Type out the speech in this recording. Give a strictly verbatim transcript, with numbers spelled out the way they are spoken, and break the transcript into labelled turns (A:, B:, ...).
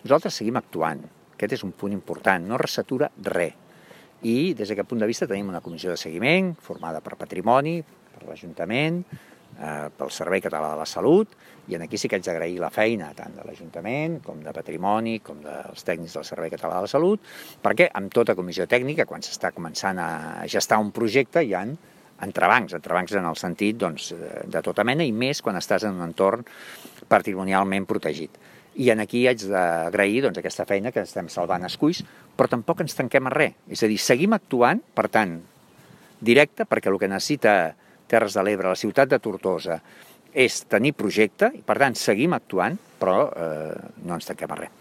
A: Nosaltres seguim actuant, aquest és un punt important, no ressatura res. I des d'aquest punt de vista tenim una comissió de seguiment formada per Patrimoni, per l'Ajuntament, eh, pel Servei Català de la Salut, i aquí sí que haig d'agrair la feina tant de l'Ajuntament com de Patrimoni, com dels tècnics del Servei Català de la Salut, perquè amb tota comissió tècnica, quan s'està començant a gestar un projecte, hi ha entrebancs, entrebancs en el sentit doncs, de tota mena i més quan estàs en un entorn patrimonialment protegit. I aquí haig d'agrair doncs, aquesta feina que estem salvant esculls, però tampoc ens tanquem a res. És a dir, seguim actuant, per tant, directe, perquè el que necessita Terres de l'Ebre, la ciutat de Tortosa, és tenir projecte, i per tant seguim actuant, però eh, no ens tanquem a res.